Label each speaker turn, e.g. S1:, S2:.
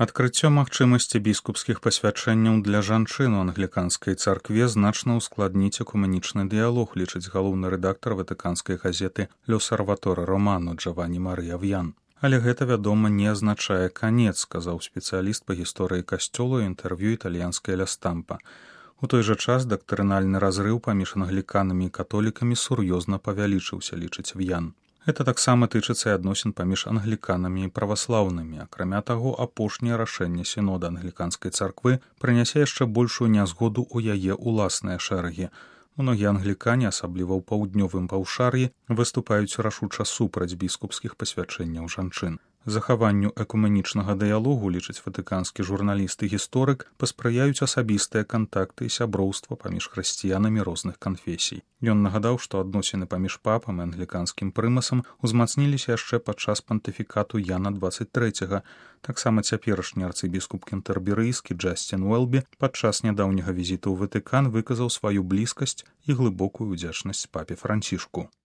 S1: Адкрыццё магчымасці біскупскіх пасвячэнняў для жанчын у англіканскай царкве значна ўскладніць экумэнічны дыялог, лічыць галоўны рэдактар ватыканскай газеты «L'Osservatore Romano» Джаванні Марыя В'ян. Але гэта, вядома, не азначае канец, сказаў спецыяліст па гісторыі касцёла ў інтэрв'ю італьянскай «Ля Стампа». У той жа час дактрынальны разрыў паміж англіканамі і католікамі сур'ёзна павялічыўся, лічыць В'ян. Гэта таксама тычыцца і адносін паміж англіканамі і праваслаўнымі. Акрамя таго, апошняе рашэнне сінода англіканскай царквы прынясе яшчэ большую нязгоду ў яе ўласныя шэрагі. Многія англікане, асабліва ў паўднёвым паўшар'і, выступаюць рашуча супраць біскупскіх пасвячэнняў жанчын. Захаванню экумэнічнага дыялогу, лічыць ватыканскі журналіст і гісторык, паспрыяюць асабістыя кантакты і сяброўства паміж хрысціянамі розных канфесій. Ён нагадаў, што адносіны паміж папам і англіканскім прымасам узмацніліся яшчэ падчас пантыфікату Яна 23. Таксама цяперашні арцыбіскуп кентэрберыйскі Джасцін Уэлбі падчас нядаўняга візіту ў Ватыкан выказаў сваю блізкасць і глыбокую ўдзячнасць папе Францішку.